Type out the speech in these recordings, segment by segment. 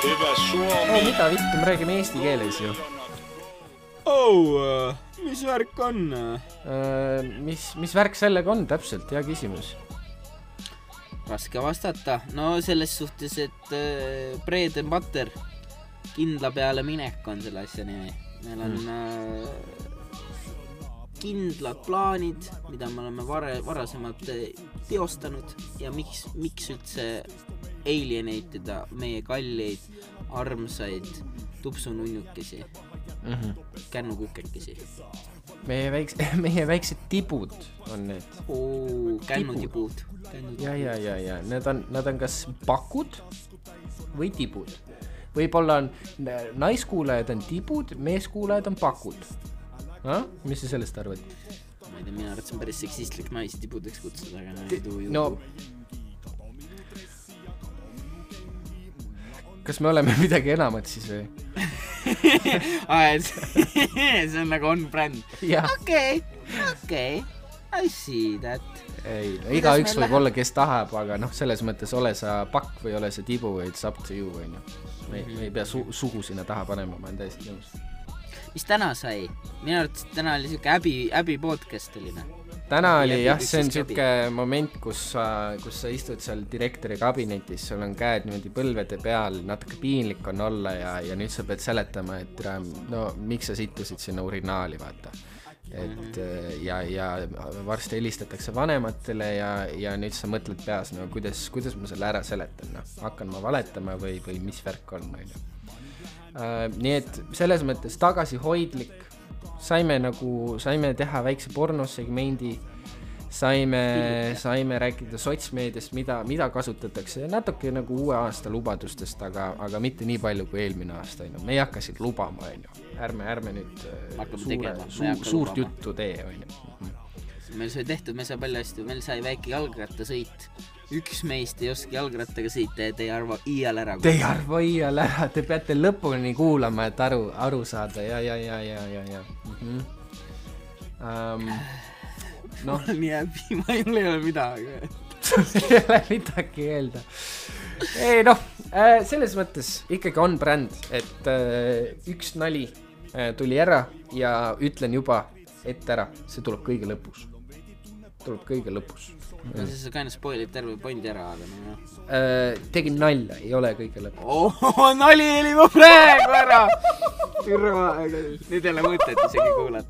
mida vittu, me räägime eesti keeles ju. Mis värk on? Mis värk sellega on täpselt, hea küsimus. Raske vastata. No selles suhtes, et bread and butter, kindla peale minek on selle asja nimi. Meil on kindlad plaanid, mida me oleme varasemalt teostanud ja miks üldse alienatida meie kalleid, armsaid tupsununnukesi, kännukukekesi. Meie väiksed tibud on need. Kännutibud. Ja. Nad on kas pakud või tibud. Võib-olla on naiskuulajad on tibud, meeskuulajad on pakud. Mis sa sellest arvad? Ma ei tea, mina arvad, see on päris seksistlik naisi tibudeks kutsuda, aga no kas me oleme midagi enamat siis või? See on nagu on brand. Okei, I see that. Ei, igaüks võib olla, kes tahab, aga selles mõttes ole sa pakk või ole sa tibu, it's up to you. Me ei pea sugu sinna taha panema, ma olen täiesti nõus. Mis täna sai? Minu arvates täna oli siuke äbi podcast oli. Täna oli jah, see on siuke moment, kus sa istud seal direktori kabinetis, sul on käed niimoodi põlvede peal, natuke piinlik on olla ja nüüd sa pead seletama, et miks sa sittusid sinna urinaali, vaata. Et ja varsti helistatakse vanematele ja nüüd sa mõtled peas, kuidas ma selle ära seletan, hakkan ma valetama või mis värk on. Nii et selles mõttes tagasihoidlik, saime teha väikse pornosegmendi, saime rääkida sotsmeediast, mida kasutatakse ja natuke nagu uue aasta lubadustest, aga mitte nii palju kui eelmine aasta. Me ei hakka siin lubama, ärme nüüd suurt juttu tee. Meil sai tehtud, me sai palju hästi, meil sai väike jalgrattasõit. Üks meist ei oska jalgrattaga sõita ja te ei arva iial ära. Te ei arva iial ära, te peate lõpuni kuulama, et aru saada. Ja. Mul on nii häbi, ma ei ole midagi. Ei ole midagi öelda. Ei selles mõttes ikkagi on bränd, et üks nali tuli ära ja ütlen juba ette ära, see tuleb kõige lõpus. No siis sa kaina spoilid terve pointi ära, aga tegin nalja, ei ole kõige lõpus. Nali oli ma praegu ära! Nüüd ei ole mõtet isegi kuulata.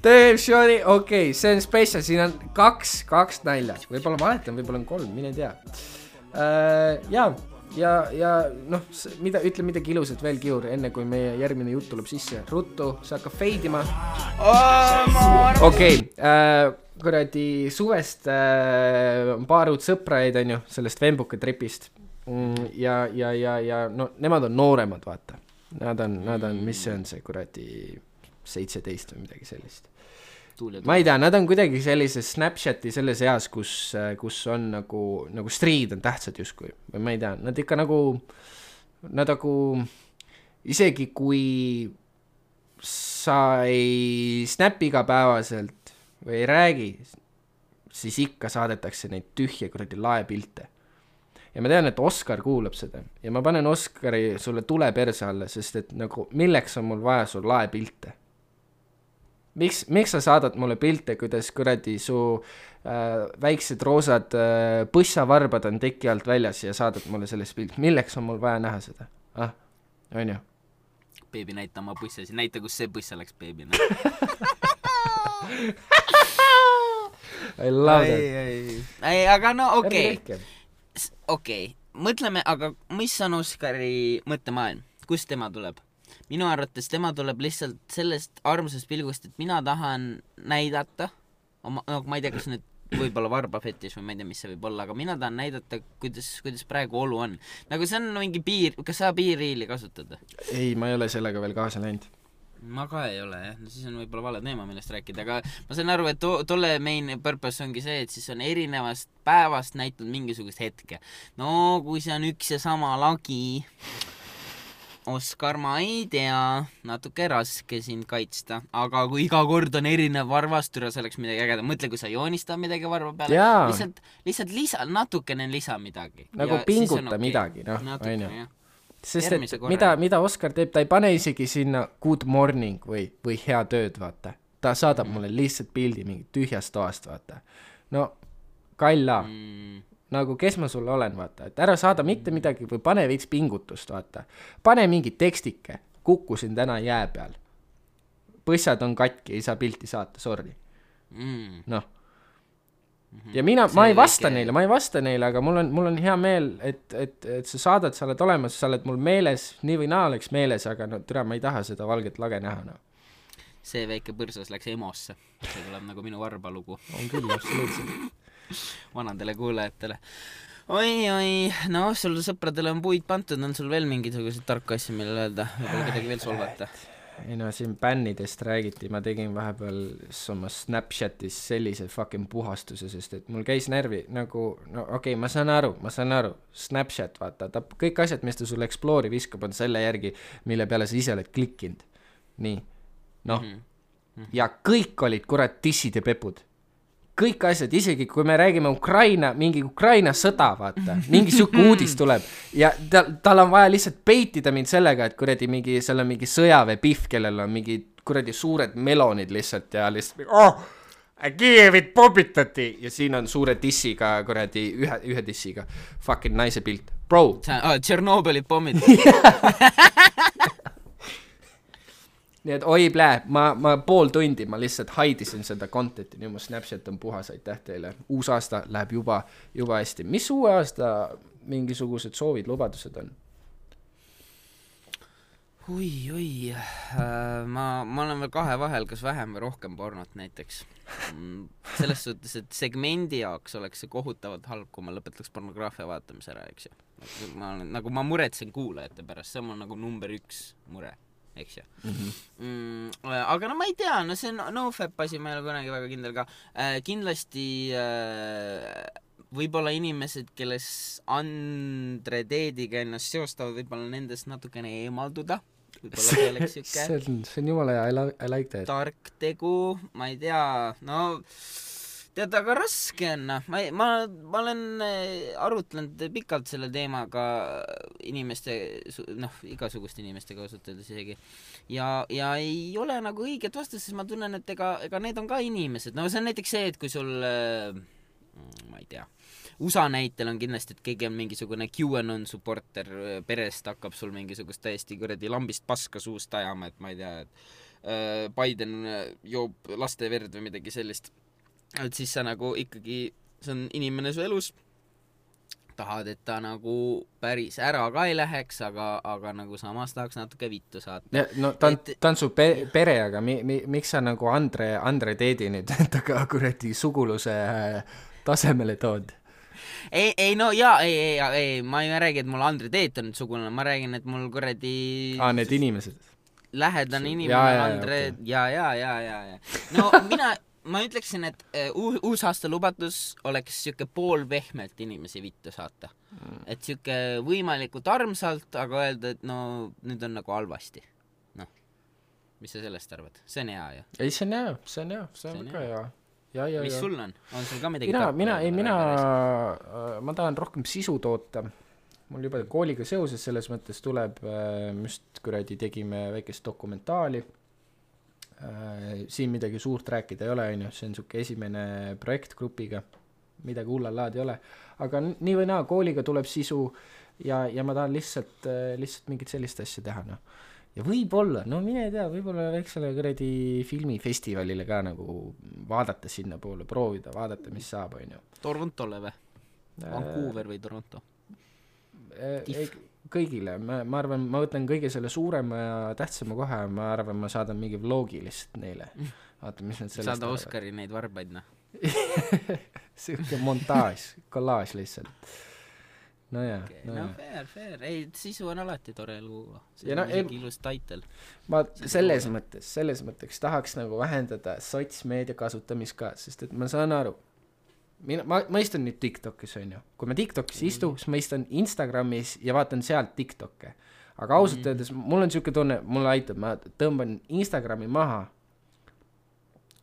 Tõesti, okei, see on special, siin on kaks nalja. Võib-olla valetan, võib-olla on 3, mine tea. Ja ütle midagi ilusat veel, Kiur, enne kui meie järgmine jutt tuleb sisse. Ruttu, see hakkab feidima. Okei, kuradi suvest paar uut sõpraid on ju, sellest Vembuka tripist. Ja nemad on nooremad, vaata. Nad on, mis see on see kuradi 17 või midagi sellist. Ma ei tea, nad on kuidagi sellises Snapchati selles eas, kus on nagu striid on tähtsad justkui. Või ma ei tea, nad ikka nad isegi kui sa ei snapi igapäevaselt või ei räägi, siis ikka saadetakse neid tühje kuradi laepilte. Ja ma tean, et Oskar kuulab seda ja ma panen Oskari sulle tule perse alla, sest et milleks on mul vaja sul laepilte? Miks sa saadad mulle pilte, kuidas kuradi su väiksed roosad põssavarbad on teki alt väljas ja saadad mulle sellest pilt? Milleks on mul vaja näha seda? On ju? Beebi, näita oma põssasi. Näita, kus see põssa läks beebina. I love that. Aga okei. Mõtleme, aga mis on Oskari mõttemaailm? Kust tema tuleb? Minu arvates tema tuleb lihtsalt sellest armsast pilgust, et mina tahan näidata, ma ei tea, kas nüüd võib-olla varbafetiš või ma ei tea, mis see võib olla, aga mina tahan näidata, kuidas praegu olu on. Nagu see on mingi piir, kas sa piirriili kasutad? Ei, ma ei ole sellega veel kaasa läinud. Ma ka ei ole, jah. No siis on võib-olla vale teema, millest rääkida, aga ma saan aru, et tolle main purpose ongi see, et siis on erinevast päevast näitud mingisugust hetke. No, kui see on üks ja sama lagi, Oskar, ma ei tea, natuke raske sind kaitsta, aga kui iga kord on erinev varvastura, see oleks midagi ägeda. Mõtle, kui sa joonistad midagi varva peale, lihtsalt natukene lisa midagi. Nagu pinguta midagi, on ju. sest et mida Oskar teeb, ta ei pane isegi sinna good morning või hea tööd, vaata. Ta saadab mulle lihtsalt pildi mingi tühjast toast, vaata. No, kalla. Nagu kes ma sulle olen, vaata. Et ära saada mitte midagi või pane veits pingutust, vaata. Pane mingi tekstike. Kukkusin täna jää peal. Põssad on katki, ei saa pilti saata, sorry. Noh. Ja ma ei vasta neile, aga mul on hea meel, et sa saadad, sa oled olemas, sa oled mul meeles, nii või naa oleks meeles, aga no türa, ma ei taha seda valget lage näha, no. See väike põrsas läks emosse. See tuleb nagu minu varbalugu. On küll, absoluutselt. Vanadele kuulajatele. Oi, no sul sõpradele on puid pantud, on sul veel mingisugused tarku asja, millele öelda, võib-olla kedagi veel solvata? Ei no, siin bännidest räägiti, ma tegin vahepeal oma Snapchatis sellise fucking puhastuse, sest et mul käis närvi nagu, no okei, ma saan aru, Snapchat, vaata, ta kõik asjad, mis ta sulle Explore'i viskab, on selle järgi, mille peale sa ise oled klikkinud. Nii, noh, ja kõik olid kurat tissid ja pepud. Kõik asjad, isegi kui me räägime mingi Ukraina sõda, vaata, mingi siuke uudis tuleb ja tal on vaja lihtsalt peitida mind sellega, et kuradi seal on mingi sõjaväepihv, kellel on mingi kuradi suured melonid lihtsalt ja lihtsalt Kiievit popitati ja siin on suure tissiga kuradi ühe tissiga fucking naise pilt. Bro. Tšernobõli pommid. Nii et oi plää, ma pool tundi ma lihtsalt haidisin seda contenti, nii mu Snapchat on puhas, aitäh teile. Uus aasta läheb juba hästi. Mis uue aasta mingisugused soovid, lubadused on? Oi, ma olen veel kahe vahel, kas vähem või rohkem pornot näiteks. Selles suhtes, et segmendi jaoks oleks see kohutavalt halb, kui ma lõpetaks pornograafia vaatamise ära, eks ju. Nagu ma muretsen kuulajate pärast, see on mul nagu number 1 mure. Eks ju. Aga no ma ei tea, no see no-fap asi ma ei ole kunagi väga kindel ka. Kindlasti võib-olla inimesed, kelles Andre Teediga ennast seostavad, võib-olla nendest natukene eemalduda. Võib-olla see on jumala hea, I like that. Tark tegu, ma ei tea, no tead, aga raske on, ma olen arutlenud pikalt selle teemaga inimeste, igasuguste inimestega ausalt öeldes isegi. Ja ei ole nagu õiget vastust, sest ma tunnen, et ega need on ka inimesed. No see on näiteks see, et kui sul, ma ei tea, USA näitel on kindlasti, et keegi on mingisugune QAnon supporter perest, hakkab sul mingisugust täiesti kuradi lambist paska suust ajama, et ma ei tea, et Biden joob laste verd või midagi sellist. Et siis sa nagu ikkagi, see on inimene su elus, tahad, et ta nagu päris ära ka ei läheks, aga nagu samas tahaks natuke vittu saata. No ta on su pere, aga miks sa nagu Andre Teedi nüüd taga kuradi suguluse tasemele tood? Ei, no jaa, ei, ma ei räägi, et mul Andre Teet on nüüd sugulane, ma räägin, et mul kuradi... need inimesed. Lähedane inimene, Andre, ja. No ma ütleksin, et uus aasta lubatus oleks siuke pool vehmelt inimesi vittu saata. Et siuke võimalikult armsalt, aga öelda, et no nüüd on nagu halvasti. Noh, mis sa sellest arvad? See on hea, ju? Ei, see on väga hea. Ja. Mis sul on? On sul ka midagi ma tahan rohkem sisu toota. Mul juba kooliga seoses selles mõttes tuleb, just kuradi tegime väikest dokumentaali. Siin midagi suurt rääkida ei ole, see on suke esimene projekt grupiga, midagi hullalaad ei ole, aga nii või naa, kooliga tuleb sisu ja ma tahan lihtsalt mingit sellist asja teha, no. Ja võib-olla, no mine tea, võib-olla väiksele kuradi filmifestivalile ka nagu vaadata sinna poole, proovida, vaadata, mis saab, on ju. Torontole või? Vancouver või Toronto? Kõigile, ma arvan, ma võtan kõige selle suurema ja tähtsama kohe, ma arvan, ma saadan mingi vlogi lihtsalt neile. Vaata, mis nad sellest saada Oskari neid varbaid, noh. Siuke montaaž, kollaaž lihtsalt. No jaa. Okay. No fair. Ei, sisu on alati tore luua. See on mingi ilus title. Ma selles mõttes tahaks nagu vähendada sotsmeedia kasutamist ka, sest et ma saan aru, ma istun nüüd TikTokis, on ju. Kui ma TikTokis istu, siis ma istun Instagramis ja vaatan sealt TikTokke. Aga ausalt öeldes, mul on siuke tunne, mulle aitab, ma tõmban Instagrami maha.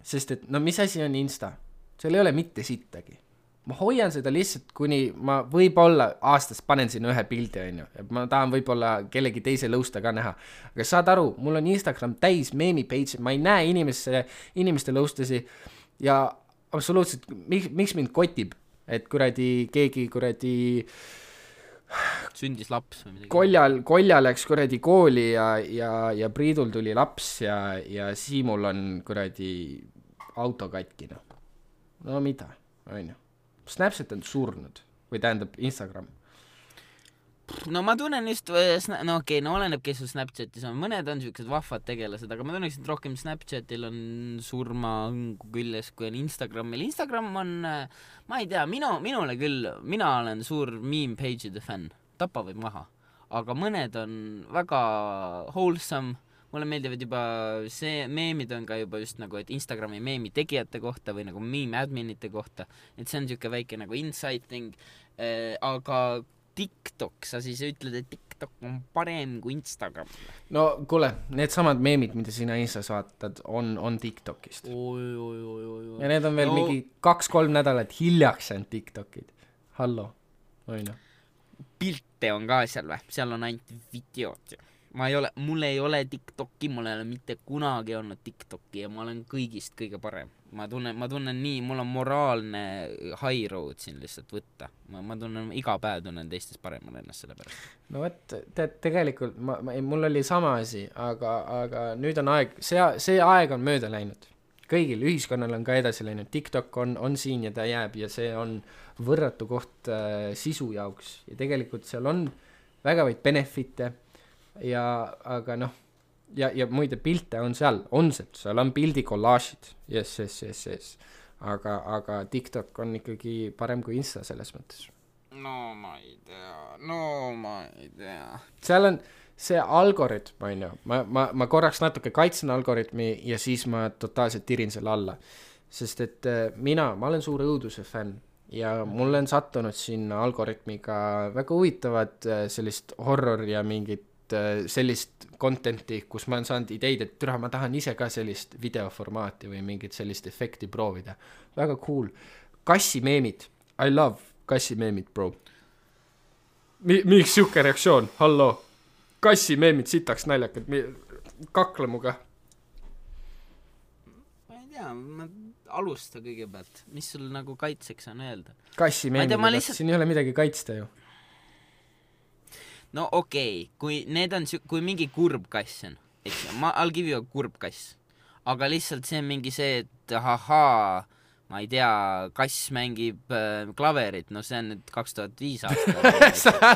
Sest et, no mis asi on Insta? Seal ei ole mitte sittagi. ma hoian seda lihtsalt, kuni ma võib-olla aastas panen sinna ühe pildi, onju, et ma tahan võib-olla kellegi teise lõusta ka näha, aga saad aru, mul on Instagram täis meemi page, ma ei näe inimeste lõustasi ja absoluutselt, miks mind kotib, et keegi sündis laps või midagi. Kolja läks kooli ja Priidul tuli laps ja Siimul on auto katki, no mida, onju. Snapchat on surnud või tähendab Instagram. No ma tunnen just, oleneb, kes sul Snapchatis on, mõned on siuksed vahvad tegelased, aga ma tunneks, et rohkem Snapchatil on surmaõngu küljes, kui on Instagramil. Instagram on, ma ei tea, minule küll, mina olen suur meme page'ide fänn, tapa võib maha, aga mõned on väga wholesome. Mulle meeldivad juba meemid on ka juba just nagu, et Instagrami meemi tegijate kohta või nagu meme adminite kohta, et see on siuke väike nagu insight thing, aga TikTok, sa siis ütled, et TikTok on parem kui Instagram. No kuule, need samad meemid, mida sina Instas vaatad, on TikTokist. Ja need on veel mingi 2-3 nädalat hiljaks on TikTokid. Hallo, oina. Pilte on ka seal või? Seal on ainult videod. Mul ei ole TikToki, mul ei ole mitte kunagi olnud TikToki ja ma olen kõigist kõige parem. Ma tunnen nii, mul on moraalne high road siin lihtsalt võtta. Ma tunnen, iga päev tunnen teistes paremal ennast selle pärast. No võt, tegelikult mul oli sama asi, aga nüüd on aeg, see aeg on mööda läinud. Kõigil ühiskonnal on ka edasi läinud. TikTok on siin ja ta jääb ja see on võrratu koht sisu jaoks ja tegelikult seal on väga vaid benefite aga ja muide pilte on seal on pildi kollaažid, yes. aga TikTok on ikkagi parem kui Insta selles mõttes. No ma ei tea. Seal on see algoritm, on ju, ma korraks natuke kaitsen algoritmi ja siis ma totaalselt tirin selle alla, sest et ma olen suur õuduse fänn ja mulle on sattunud sinna algoritmiga väga huvitavad sellist horror ja mingit sellist contenti, kus ma olen saanud ideid, et ma tahan ise ka sellist videoformaati või mingit sellist efekti proovida. Väga cool. Kassimeemid. I love kassimeemid, bro. Miks siuke reaktsioon? Hallo. Kassimeemid sitaks naljakad. Kakle muga. Ma ei tea, ma alusta kõigepealt. Mis sul nagu kaitseks on öelda? Kassimeemid, siin ei ole midagi kaitsta ju. No okei, kui mingi kurb kass on, eks I'll give you a kurb kass, aga lihtsalt see on mingi see, et ma ei tea, kass mängib klaverit, no see on nüüd 2005 aasta.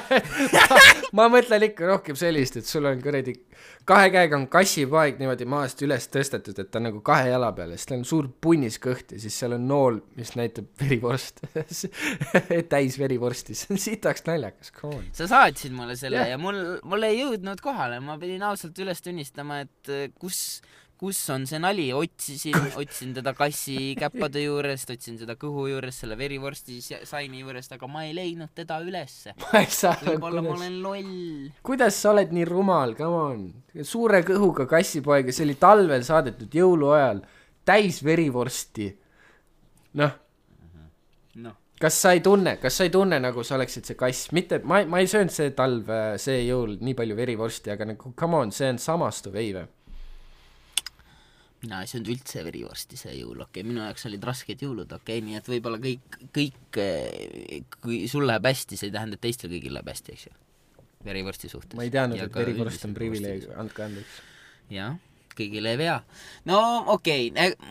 Ma mõtlen ikka rohkem sellist, et sul on kahe käega on kassipaeg niimoodi maast üles tõstetud, et ta nagu kahe jala peal, siis ta on suur punnis kõht ja siis seal on nool, mis näitab verivorst. Täis verivorsti, see on sitaks naljakas, come on. Sa saatsid mulle selle ja mul ei jõudnud kohale, ma pidin ausalt üles tunnistama, et kus on see nali, otsin teda kassi käppade juurest, otsin seda kõhu juurest, selle verivorsti saini juurest, aga ma ei leidnud teda ülesse. Võib-olla ma olen loll. Kuidas sa oled nii rumal, come on? Suure kõhuga kassipoega, see oli talvel saadetud jõuluajal, täis verivorsti. Kas sa ei tunne nagu sa oleksid see kass? Mitte, ma ei söönud see talv, see jõul nii palju verivorsti, aga nagu, come on, see on samastuv eive. Mina ei söönud üldse verivorsti see jõul, minu jaoks olid rasked jõulud, nii et võib-olla kõik, kui sul läheb hästi, see ei tähenda, et teistel kõigil läheb hästi, eks ju, verivorsti suhtes. Ma ei teadnud, et verivorst on privileeg, andke andeks. Jah, kõigile ei vea. No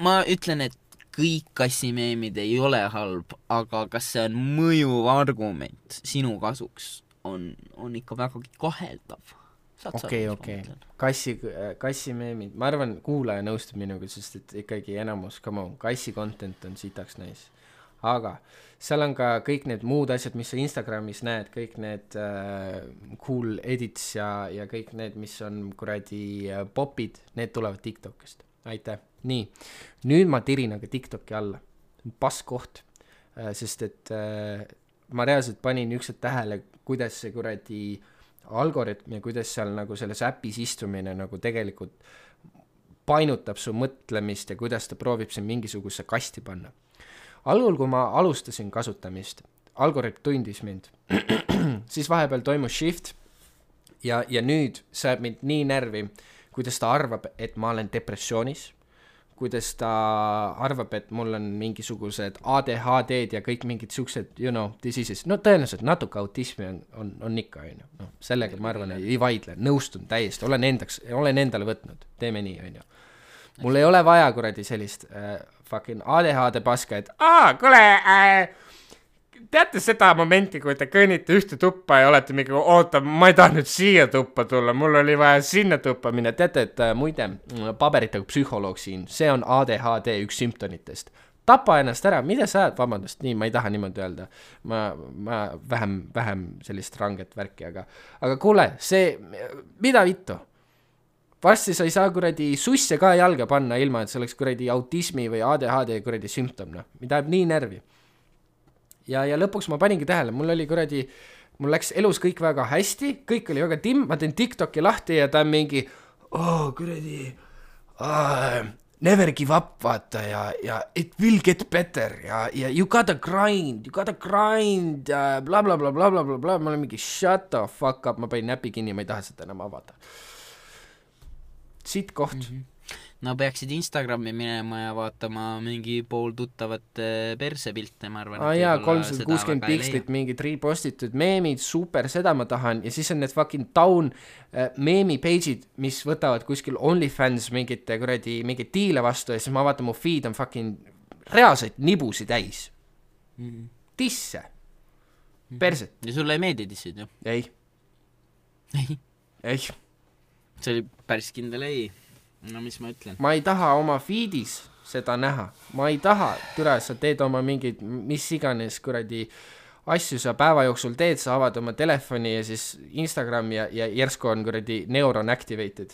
ma ütlen, et kõik kassimeemid ei ole halb, aga kas see on mõjuv argument sinu kasuks, on ikka vägagi kaheldav. Okei. Kassimeemid, ma arvan, kuulaja nõustub minuga, sest et ikkagi enamus, kassi content on sitaks nice. Aga seal on ka kõik need muud asjad, mis sa Instagramis näed, kõik need cool edits ja kõik need, mis on popid, need tulevad TikTokist. Aitäh. Nii, nüüd ma tirin aga TikToki alla. Passkoht, sest et ma reaalselt panin ükskord tähele, kuidas see algoritm ja kuidas seal nagu selles äpis istumine nagu tegelikult painutab su mõtlemist ja kuidas ta proovib siin mingisuguse kasti panna. algul, kui ma alustasin kasutamist, algoritm tundis mind, siis vahepeal toimus shift ja nüüd see mind nii närvi, kuidas ta arvab, et ma olen depressioonis, kuidas ta arvab, et mul on mingisugused ADHD-d ja kõik mingid siuksed, diseases, no tõenäoliselt natuke autismi on ikka, no sellega ma arvan, ei vaidle, nõustun täiesti, olen endale võtnud, teeme nii, mul ei ole vaja kuradi sellist fucking ADHD paska, et kuule, teate seda momenti, kui te kõnnite ühte tuppa ja olete mingi, oota, ma ei taha nüüd siia tuppa tulla, mul oli vaja sinna tuppa minna, teate, et muide, paberitega psühholoog siin, see on ADHD üks sümptomitest. Tapa ennast ära, mida sa ajad, vabandust, nii, ma ei taha niimoodi öelda, ma vähem sellist ranget värki, aga kuule, see, mida vittu? Varsti sa ei saa kuradi susse ka jalga panna ilma, et see oleks kuradi autismi või ADHD kuradi sümptom, mida jääb nii närvi. Ja lõpuks ma paningi tähele, mul läks elus kõik väga hästi, kõik oli väga timm, ma teen TikToki lahti ja ta on mingi, kuradi, never give up, vaata, ja it will get better, ja you gotta grind, ja bla, bla, bla, bla, bla, bla, bla, ma olen mingi shut the fuck up, ma panin näpi kinni, ma ei taha seda enam avada. Siit koht. No peaksid Instagrami minema ja vaatama mingi pool tuttavat persepilte, ma arvan. Jaa, 360 pikslit, mingid repostitud meemid, super, seda ma tahan. Ja siis on need fucking down meemi page'id, mis võtavad kuskil OnlyFans mingit diile vastu ja siis ma vaatan, mu feed on fucking reaalseid nibusi täis. Tisse. Perset. Ja sulle ei meeldi tissid, ju? Ei. See oli päris kindel ei. No mis ma ütlen? Ma ei taha oma feedis seda näha. Ma ei taha, türa, sa teed oma mingid, mis iganes kuradi asju sa päeva jooksul teed, sa avad oma telefoni ja siis Instagram ja järsku on kuradi neuron activated.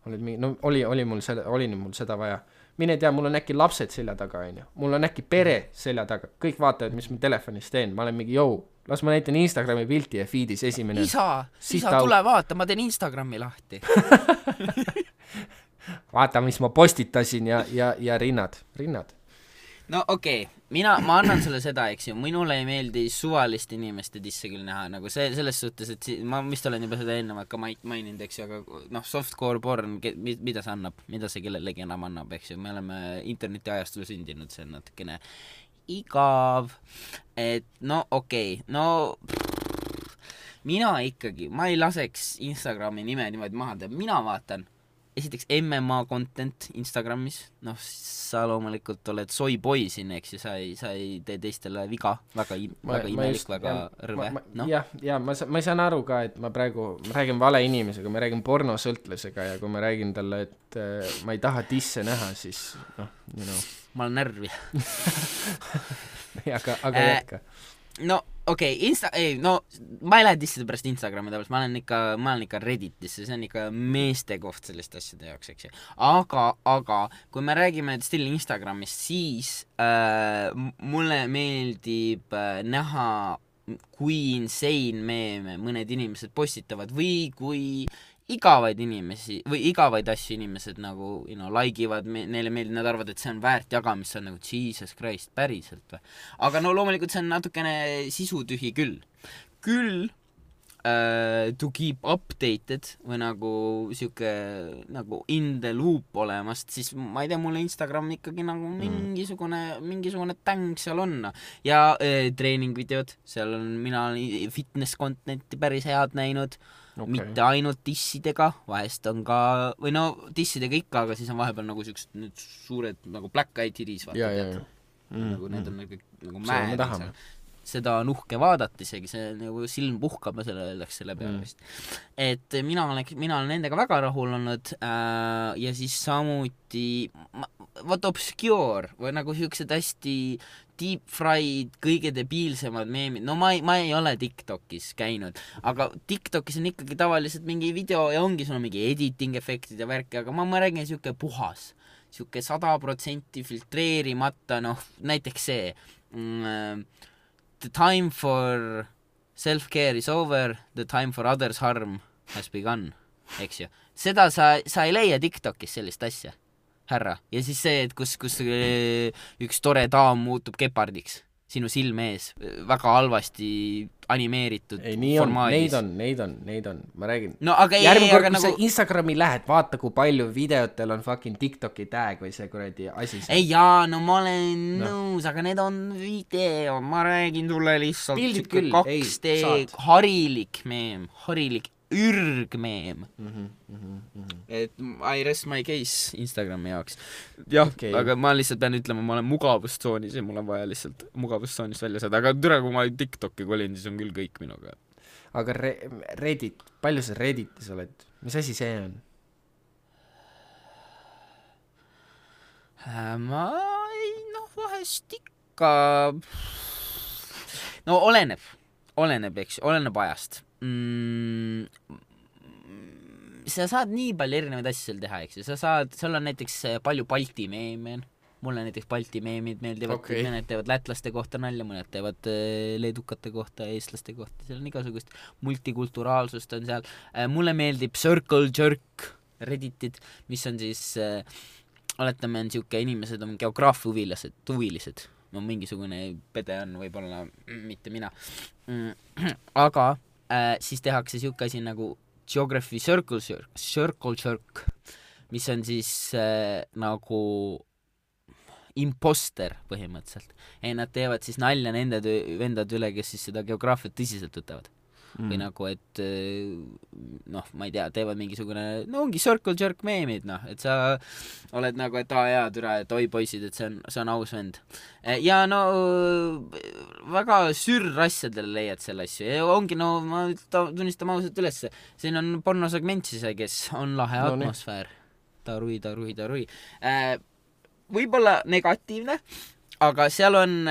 Oli mul seda vaja. Mine tea, mul on äkki lapsed selja taga, mul on äkki pere selja taga. Kõik vaatavad, mis ma telefonis teen. Ma olen mingi, las ma näitan Instagrami pilti ja feedis esimene. Isa, tule vaata, ma teen Instagrami lahti. Vaata, mis ma postitasin ja rinnad. No okei, ma annan sulle seda, eks ju, minule ei meeldi suvalist inimeste disse küll näha, nagu selles suhtes, et ma vist olen juba seda ennevalt ka maininud, eks ju, aga softcore porn, mida see annab, mida see kellelegi enam annab, eks ju, me oleme internetiajastul sündinud, see on natukene igav, et no okei, mina ikkagi, ma ei laseks Instagrami nime niimoodi maha teha, mina vaatan esiteks MMA content Instagramis, sa loomulikult oled soyboy siin, eks ju, sa ei tee teistele viga, väga imelik, väga rõve. Ja ma ei saan aru ka, et ma räägin vale inimesega, ma räägin pornosõltlasega ja kui ma räägin talle, et ma ei taha tisse näha, siis ma olen närvi. aga jätka. No okei, ma ei lähe disside pärast Instagrami tavaliselt, ma olen ikka Redditis, see on ikka meeste koht selliste asjade jaoks, eks ju. Aga kui me räägime still Instagramist, siis mulle meeldib näha, kui insane meeme mõned inimesed postitavad või kui igavaid asju inimesed nagu, laigivad, neile meeldib, nad arvavad, et see on väärt jagamist, see on nagu Jesus Christ, päriselt või. Aga loomulikult see on natukene sisutühi küll to keep updated või nagu siuke nagu in the loop olemast, siis ma ei tea, mulle Instagram ikkagi nagu mingisugune täng seal on ja treeningvideod, seal on mina fitness contenti päris head näinud. Okay. Mitte ainult dissidega, vahest on ka, või dissidega ikka, aga siis on vahepeal nagu siuksed need suured nagu black eye titties, vaata, nagu need on nagu mäed, seda on uhke vaadata isegi, see nagu silm puhkab ja selle peale vist. Et mina olen nendega väga rahul olnud ja siis samuti obscure või nagu siuksed hästi deep fried, kõige debiilsemad meemid. Ma ei ole TikTokis käinud, aga TikTokis on ikkagi tavaliselt mingi video ja ongi sul mingi editing efektid ja värki, aga ma räägin siuke puhas, siuke 100% filtreerimata, näiteks see the time for self-care is over, the time for others harm has begun, eks ju. Seda sa ei leia TikTokis sellist asja. härra. Ja siis see, et kus üks tore daam muutub gepardiks sinu silme ees, väga halvasti animeeritud ei, nii formaadis. on, neid on, ma räägin. No aga järgmine kord, kui nagu... sa Instagrami lähed, vaata, kui palju videotel on fucking TikToki tag või see kuradi asi. ei jaa, no ma olen nõus, aga need on video, ma räägin sulle lihtsalt pildid küll, 2D harilik meem, harilik ürgmeem. Et I rest my case Instagrami jaoks. Jah, okay. Aga ma lihtsalt pean ütlema, ma olen mugavustsoonis ja mul on vaja lihtsalt mugavustsoonist välja saada, aga türa, kui ma TikToki kolin, siis on küll kõik minuga. Aga Reddit, palju sa Redditis oled? Mis asi see on? Ma ei, vahest ikka no oleneb, eks, oleneb ajast. Sa saad nii palju erinevaid asju seal teha, eks ju, seal on näiteks palju Balti meeme, mulle näiteks Balti meemid meeldivad, okay. Mõned teevad lätlaste kohta nalja, mõned teevad leedukate kohta, eestlaste kohta, seal on igasugust multikulturaalsust on seal. Mulle meeldib Circle Jerk Redditid, mis on siis oletame, on siuke inimesed on geograafiahuvilised, no mingisugune pede on, võib-olla mitte mina, aga siis tehakse siuke asi nagu Geography Circle Jerk, mis on siis nagu imposter põhimõtteliselt. Nad teevad siis nalja nende vendade üle, kes siis seda geograafiat tõsiselt võtavad. Või nagu, et ma ei tea, teevad mingisugune, ongi Circle Jerk meemid, et sa oled nagu, et türa, et oi poisid, et see on aus vend. Ja väga sürrasjadele leiad selle asju ja ongi, ma tunnistan ausalt üles, siin on pornosegment siis, kes on lahe atmosfäär. Tarui. Võib-olla negatiivne, aga seal on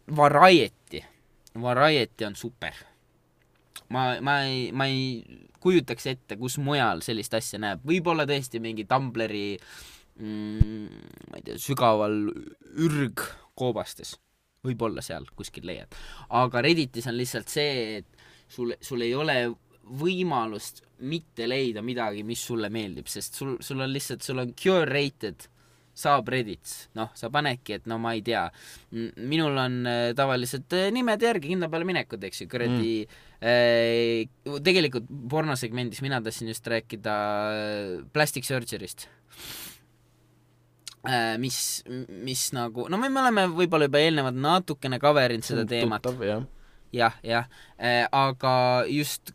variety on super. Ma ei kujutaks ette, kus mujal sellist asja näeb. Võib-olla tõesti mingi Tumblri ma ei tea, sügaval ürgkoobastes. Võib-olla seal kuskil leiad. Aga Redditis on lihtsalt see, et sul ei ole võimalust mitte leida midagi, mis sulle meeldib, sest sul on curated subreddits, sa panedki, et ma ei tea, minul on tavaliselt nimed järgi kindla peale minekud, eks ju, kuradi tegelikult pornosegmendis mina tahtsin just rääkida plastic surgery'st, mis nagu, me oleme võib-olla juba eelnevalt natukene coverinud seda teemat. Tuttav, jah, aga just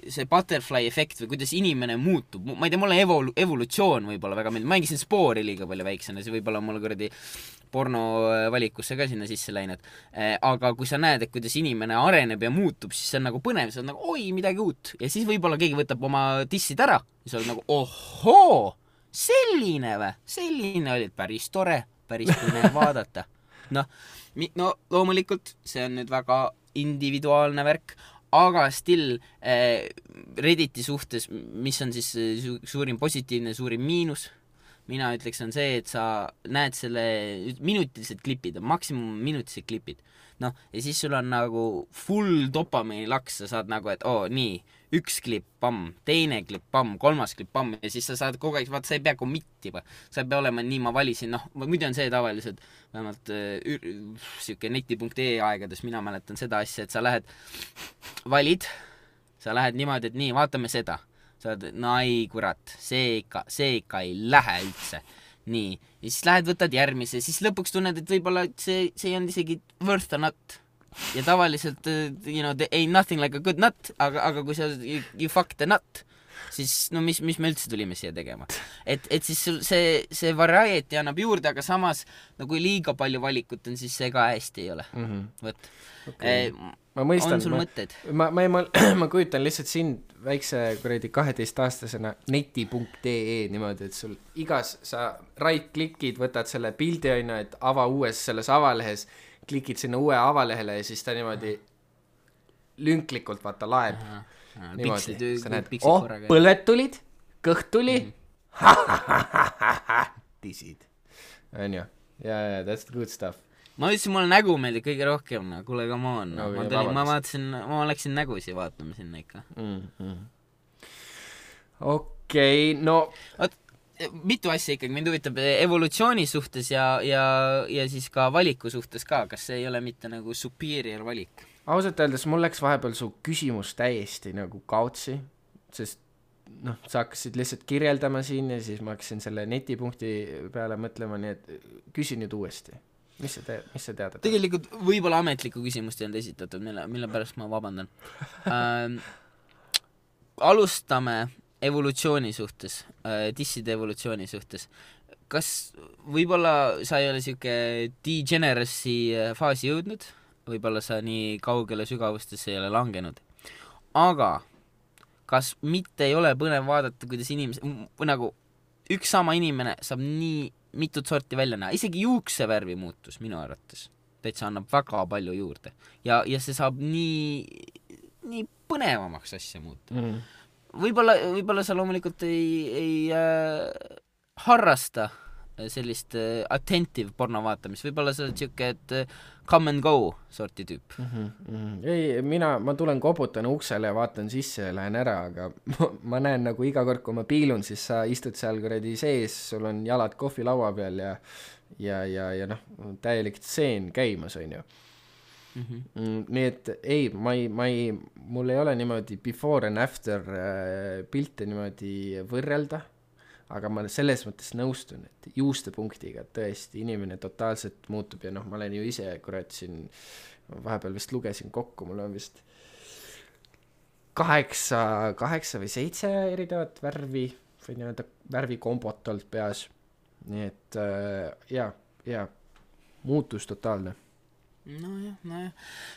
see butterfly efekt või kuidas inimene muutub, ma ei tea, mulle evolutsioon võib-olla väga meeldib, mängisin Spoori liiga palju väiksena, see võib-olla mulle kuradi porno valikusse ka sinna sisse läinud, aga kui sa näed, et kuidas inimene areneb ja muutub, siis see on nagu põnev, see on nagu oi, midagi uut ja siis võib-olla keegi võtab oma dissid ära ja sa oled nagu ohoo, selline oli päris tore, päris põnev vaadata. No loomulikult see on nüüd väga individuaalne värk, aga still Redditi suhtes, mis on siis suurim positiivne, suurim miinus, mina ütleks on see, et sa näed selle minutilised klipid, maksimum minutilised klipid, ja siis sul on nagu full dopamiini laks, sa saad nagu, et nii, üks klipp, pamm, teine klipp, pamm, kolmas klipp, pamm, ja siis sa saad kogu aeg, vaata, sa ei pea committima, sa ei pea olema nii, ma valisin, muidu on see tavaliselt, vähemalt siuke neti.ee aegades, mina mäletan seda asja, et sa lähed, valid, sa lähed niimoodi, et nii, vaatame seda, sa oled, ei kurat, see ikka ei lähe üldse, nii, ja siis lähed, võtad järgmise, siis lõpuks tunned, et võib-olla see ei olnud isegi worth a nut. Ja tavaliselt, there ain't nothing like a good nut, aga kui sa you fuck the nut, siis mis me üldse tulime siia tegema. Et siis see variety annab juurde, aga samas, kui liiga palju valikut on, siis see ka hästi ei ole. Võt. Okay. Ma mõistan, on sul mõtted? Ma kujutan lihtsalt sind väikse kuradi 12-aastasena neti.ee niimoodi, et sul igas sa right-klikid, võtad selle pildi aina, et ava uues selles avalehes, klikid sinna uue avalehele ja siis ta niimoodi lünklikult vaata laeb. Niimoodi, sa näed, põlved tulid, kõht tuli, tisid. On ju? Ja, that's the good stuff. Ma ütlesin, mulle nägu meeldib kõige rohkem, kuule, come on. Ma vaatasin, ma läksin nägusi vaatama sinna ikka. Okei, no... mitu asja ikkagi, mind huvitab evolutsiooni suhtes ja siis ka valiku suhtes ka, kas see ei ole mitte nagu superior valik? Ausalt öeldes mul läks vahepeal su küsimus täiesti nagu kaotsi, sest noh, sa hakkasid lihtsalt kirjeldama siin ja siis ma hakkasin selle netipunkti peale mõtlema, nii et küsi nüüd uuesti. Mis sa teada? Tegelikult võib-olla ametlikku küsimust ei olnud esitatud, mille pärast ma vabandan. Alustame evolutsiooni suhtes, disside evolutsiooni suhtes. Kas võib-olla sa ei ole siuke degeneracy faasi jõudnud, võib-olla sa nii kaugele sügavustesse ei ole langenud, aga kas mitte ei ole põnev vaadata, kuidas nagu üks sama inimene saab nii mitut sorti välja näha, isegi juuksevärvi muutus minu arvates täitsa annab väga palju juurde ja see saab nii põnevamaks asja muuta. Võib-olla sa loomulikult ei harrasta sellist attentive porno vaatamist, võib-olla sa oled siuke, et come and go sorti tüüp. Ei, ma tulen koputan uksele ja vaatan sisse ja lähen ära, aga ma näen nagu iga kord, kui ma piilun, siis sa istud seal kuradi sees, sul on jalad kohvilaua peal ja noh, täielik tseen käimas, on ju. Nii et ei, mul ei ole niimoodi before and after pilte niimoodi võrrelda, aga ma selles mõttes nõustun, et juuste punktiga tõesti inimene totaalselt muutub ja noh, ma olen ju ise kurat siin, vahepeal vist lugesin kokku, mul on vist 8 või 7 erinevat värvi või nii-öelda värvikombot olnud peas, nii et ja muutus totaalne. Nojah.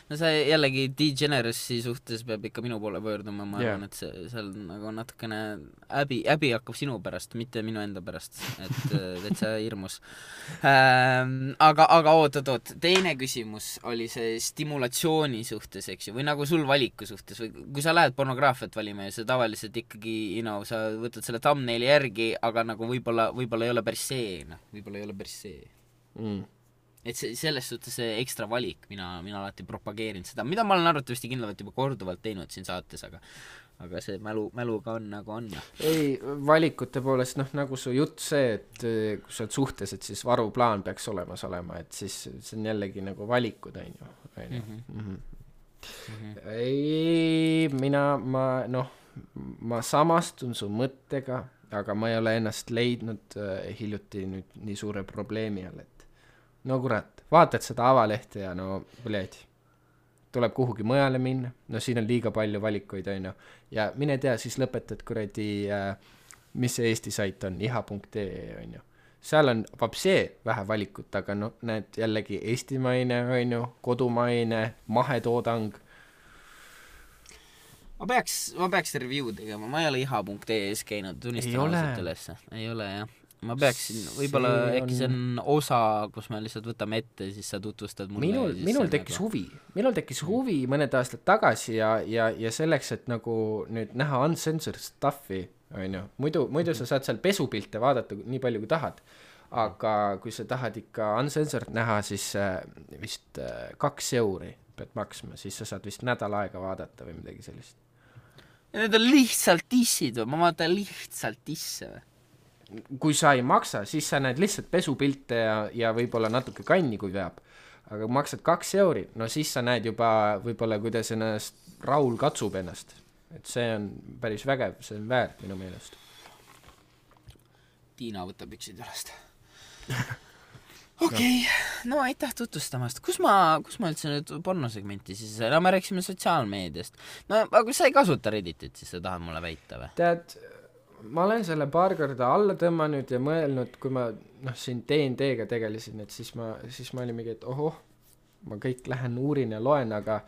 No see jällegi degeneracy suhtes peab ikka minu poole pöörduma, ma arvan, et seal nagu natukene häbi hakkab sinu pärast, mitte minu enda pärast, et see hirmus. Aga oot, teine küsimus oli see stimulatsiooni suhtes, eks ju, või nagu sul valiku suhtes, või kui sa lähed pornograafiat valima ja sa tavaliselt ikkagi, sa võtad selle thumbnaili järgi, aga nagu võib-olla ei ole päris see, et selles suhtes see ekstra valik, mina alati propageerin seda, mida ma olen arvatavasti kindlalt juba korduvalt teinud siin saates, aga see mäluga on nagu on. Ei, valikute poolest, noh, nagu su jutt see, et kui sa oled suhtes, et siis varuplaan peaks olemas olema, et siis see on jällegi nagu valikud, on ju. Ei, ma samastun su mõttega, aga ma ei ole ennast leidnud hiljuti nüüd nii suure probleemi all, et no kurat, vaatad seda avalehte ja no, tuleb kuhugi mujale minna, no siin on liiga palju valikuid, on ju, ja mine tea, siis lõpetad kuradi, mis see Eesti sait on, iha.ee, on ju. Seal on vapsee vähe valikut, aga no näed jällegi eestimaine, on ju, kodumaine, mahetoodang. Ma peaks review tegema, ma ei ole iha.ee-s käinud, tunnistan ausalt ülesse. Ei ole, jah. Ma peaksin, võib-olla äkki see on osa, kus me lihtsalt võtame ette, siis sa tutvustad mulle. Minul tekkis huvi mõned aastad tagasi ja selleks, et nagu nüüd näha uncensored stuffi, on ju, muidu sa saad seal pesupilte vaadata nii palju kui tahad, aga kui sa tahad ikka uncensored näha, siis vist 2 euri pead maksma, siis sa saad vist nädal aega vaadata või midagi sellist. Ja need on lihtsalt dissid või? Ma vaatan lihtsalt disse või? Kui sa ei maksa, siis sa näed lihtsalt pesupilte ja võib-olla natuke kanni, kui veab. Aga maksad 2 euri, no siis sa näed juba võib-olla, kuidas ennast Raul katsub ennast. Et see on päris vägev, see on väärt minu meelest. Tiina võtab üksid jalast. Okei, no aitäh tutvustamast. Kus ma üldse nüüd pornosegmenti siis? No me rääksime sotsiaalmeediast. No aga sa ei kasuta Redditit, siis sa tahad mulle väita või? Tead, ma olen selle paar korda alla tõmmanud ja mõelnud, kui ma siin D&D-ga tegelesin, et siis ma olin mingi, et ohoh, ma kõik lähen uurin ja loen, aga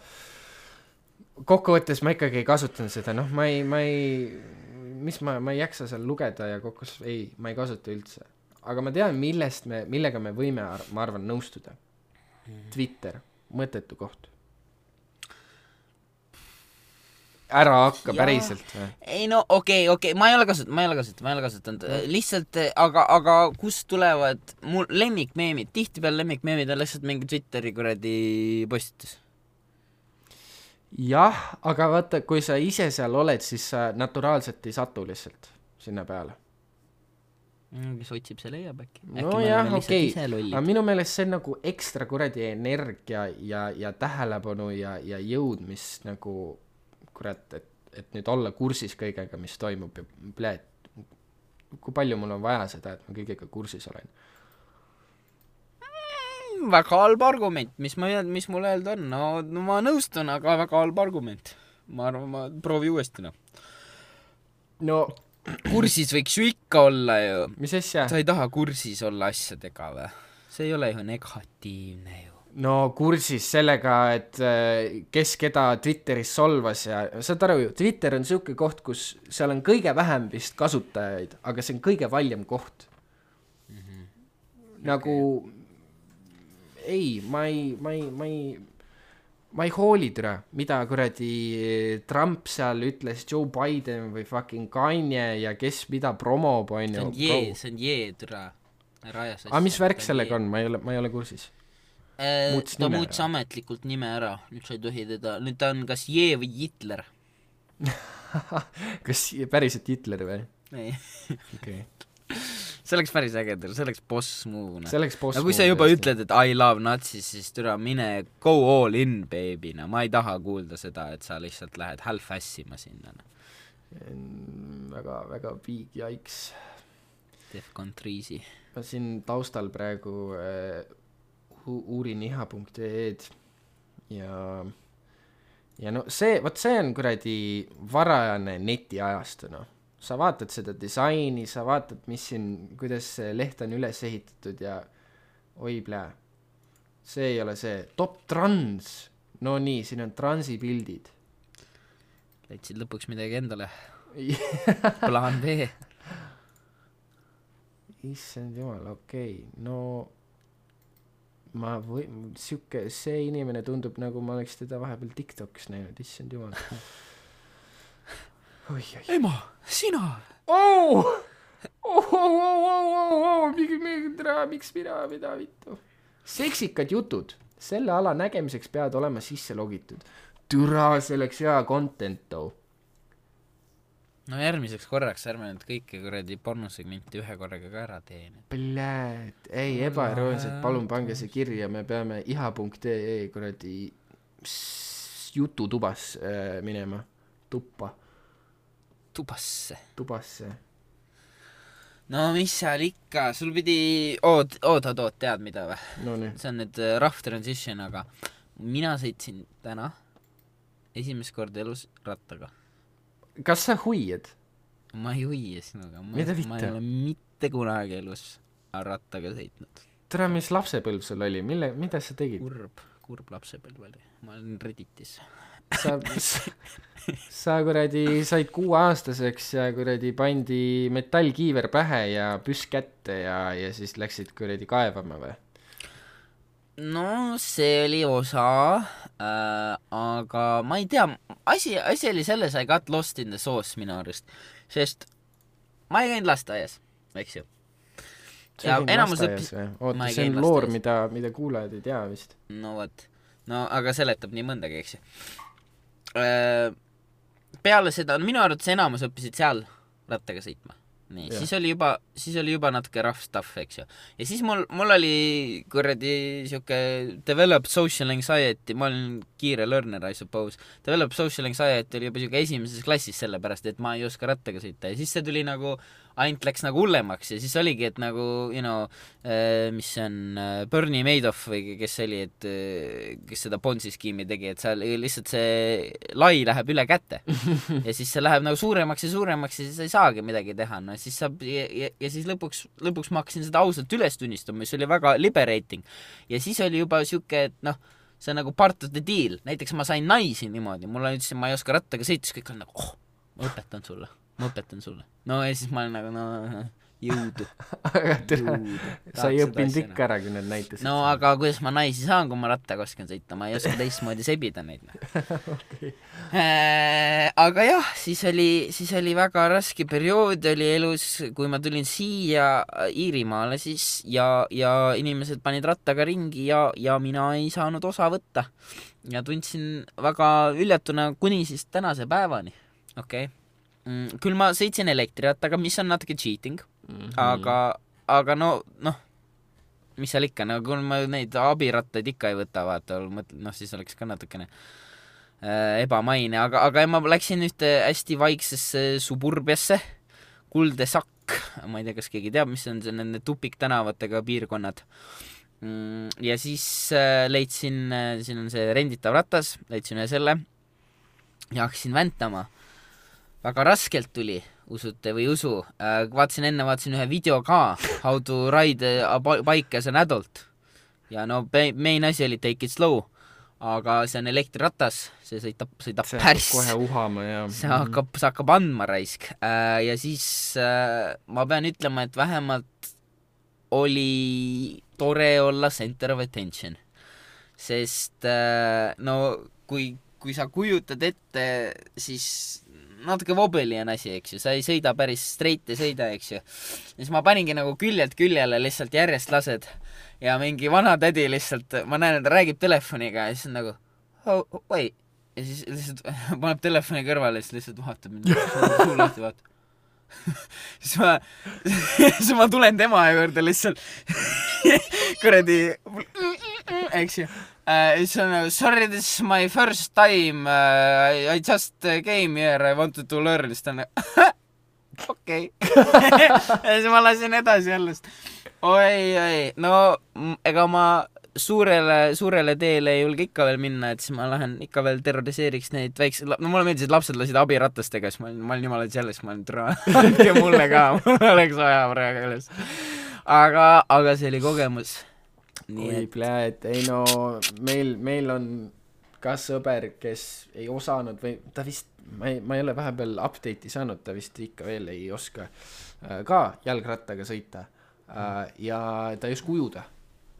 kokkuvõttes ma ikkagi ei kasutanud seda, noh, ma ei jaksa seal lugeda ja ma ei kasuta üldse. Aga ma tean, millega me võime, ma arvan, nõustuda. Twitter, mõttetu koht. Ära hakka päriselt või? Ei no okei, ma ei ole kasutanud. Lihtsalt, aga kust tulevad mul lemmikmeemid? Tihtipeale lemmikmeemid on lihtsalt mingi Twitteri kuradi postitus. Jah, aga vaata, kui sa ise seal oled, siis sa naturaalselt ei satu lihtsalt sinna peale. Kes otsib, see leiab äkki. No jah, okei, aga minu meelest see on nagu ekstra kuradi energia ja tähelepanu ja jõud, mis nagu kurat, et nüüd olla kursis kõigega, mis toimub ja pljääd, kui palju mul on vaja seda, et ma kõigega kursis olen. Väga halb argument, mis mul öelda on, no ma nõustun, aga väga halb argument. Ma arvan, ma proovi uuesti, No kursis võiks ju ikka olla ju. Mis asja? Sa ei taha kursis olla asjadega või? See ei ole ju negatiivne ju. No kursis sellega, et kes keda Twitteris solvas ja saad aru ju, Twitter on siuke koht, kus seal on kõige vähem vist kasutajaid, aga see on kõige valjem koht. Nagu ei, ma ei hooli türa, mida kuradi Trump seal ütles, Joe Biden või fucking Kanye ja kes mida promob, on ju. See on jee türa. Aga mis värk sellega on? Ma ei ole kursis. Ta muutis ametlikult nime ära, nüüd sa ei tohi teda, nüüd ta on kas jee või Hitler. Kas päriselt Hitler või? Ei. Okay. See oleks päris ägedel, see oleks boss move. No kui sa juba ütled, et I love natsis, siis türa mine go all in, baby. No. Ma ei taha kuulda seda, et sa lihtsalt lähed half-assima sinna. Väga, väga big yikes. Defcon 3-si. Ma siin taustal praegu uurin iha.ee-d ja no see on kuradi varajane netiajastu, no. Sa vaatad seda disaini, sa vaatad, mis siin, kuidas see leht on üles ehitatud ja oi plää. See ei ole see. Top trans. No nii, siin on transi pildid. Leidsid lõpuks midagi endale. Plaan B. Issand jumal, okei. No see inimene tundub, nagu ma oleks teda vahepeal TikTokis näinud. Issand jumal. Oi. Ema, sina! Miks mida vittu? Seksikad jutud. Selle ala nägemiseks peavad olema sisse logitud. Türa, see oleks hea content too. No järgmiseks korraks ärme nüüd kõike kuradi pornosegmenti ühe korraga ka ära teen. Pläät, ei ebaeroonselt, palun pange see kirja, me peame iha.ee kuradi jututubas minema. Tubasse. No mis seal ikka, sul pidi tead mida või? No nii. See on nüüd rough transition, aga mina sõitsin täna esimest korda elus rattaga. Kas sa huied? Ma ei huie sinuga. Mida vitte? Ma ei ole mitte kunagi elus rattaga sõitnud. Tere, mis lapsepõlv sul oli? Mida sa tegid? Kurb lapsepõlv oli. Ma olin Redditis. Sa kuradi said 6-aastaseks ja kuradi pandi metallkiiver pähe ja püss kätte ja siis läksid kuradi kaevama või? No see oli osa, aga ma ei tea, asi oli selles, I got lost in the sauce minu arust, sest ma ei käinud lasteaias, eks ju. Ja enamus õppis... Oota, see on loor, mida kuulajad ei tea vist. No võt, aga seletab nii mõndagi, eks ju. Peale seda, minu arvates enamus õppisid seal rattaga sõitma. Nii, siis oli juba natuke rough stuff, eks ju. Ja siis mul oli kuradi siuke developed social anxiety, ma olin kiire learner, I suppose. Developed social anxiety oli juba siuke esimeses klassis sellepärast, et ma ei oska rattaga sõita. Ja siis see tuli nagu, ainult läks nagu hullemaks ja siis oligi, et nagu, mis see on, Bernie Madoff või kes oli, et kes seda Ponzi skiimi tegi, et seal lihtsalt see lai läheb üle kätte. Ja siis see läheb nagu suuremaks ja siis ei saagi midagi teha, no siis saab, ja siis lõpuks ma hakkasin seda ausalt üles tunnistama, mis oli väga liberating. Ja siis oli juba siuke, et see on nagu part of the deal. Näiteks ma sain naisi niimoodi, mulle ütlesin, ma ei oska rattaga sõita, siis kõik on nagu, ma õpetan sulle. No ja siis ma olen nagu, jõudu. Sa ei õppinud ikka ära, kui need näitasid. No aga kuidas ma naisi saan, kui ma rattaga oskan sõita, ma ei oska teistmoodi sebida neid. Okay. Aga jah, siis oli väga raske periood oli elus, kui ma tulin siia Iirimaale siis ja inimesed panid rattaga ringi ja mina ei saanud osa võtta. Ja tundsin väga üljatuna kuni siis tänase päevani. Okei. Küll ma sõitsin elektrirattaga, mis on natuke cheating, aga noh, mis seal ikka, no kui ma neid abirattaid ikka ei võta, vaata, noh, siis oleks ka natukene ebamaine, aga ma läksin ühte hästi vaiksesse suburbiasse, Kuldesak, ma ei tea, kas keegi teab, mis on see nende tupiktänavatega piirkonnad. Ja siis leidsin, siin on see renditav ratas, leidsin ühe selle ja hakkasin väntama. Väga raskelt tuli, usute või usu. Vaatasin ühe video ka, How to ride a bike as an adult. Ja no main asi oli take it slow, aga see on elektriratas, see sõidab päris. Kohe uhama ja... See hakkab andma raisk. Ja siis ma pean ütlema, et vähemalt oli tore olla center of attention. Sest no kui sa kujutad ette, siis natuke vobeli on asi, eks ju, sa ei sõida päris straight ei sõida, eks ju. Siis ma paningi nagu küljelt küljele lihtsalt järjest lased ja mingi vana tädi lihtsalt, ma näen, et ta räägib telefoniga ja siis on nagu oh, wait. Ja siis lihtsalt paneb telefoni kõrvale ja siis lihtsalt vaatab mind, suu lahti vaatab. siis ma tulen tema juurde lihtsalt kuradi eks ju. Siis on nagu, sorry, this is my first time, I just came here, I wanted to learn, siis ta on nagu, okei. Ja siis ma lasin edasi jällest. Oi, no ega ma suurele teele ei julge ikka veel minna, et siis ma lähen ikka veel terroriseeriks neid väikse, no mulle meeldis, et lapsed lasid abiratastega, siis ma olin jumala selles, ma olin andke mulle ka, mul oleks vaja praegu üles. Aga see oli kogemus. Oi, pläed, ei no, meil on ka sõber, kes ei osanud või ta vist, ma ei ole vahepeal update'i saanud, ta vist ikka veel ei oska ka jalgrattaga sõita ja ta ei oska ujuda.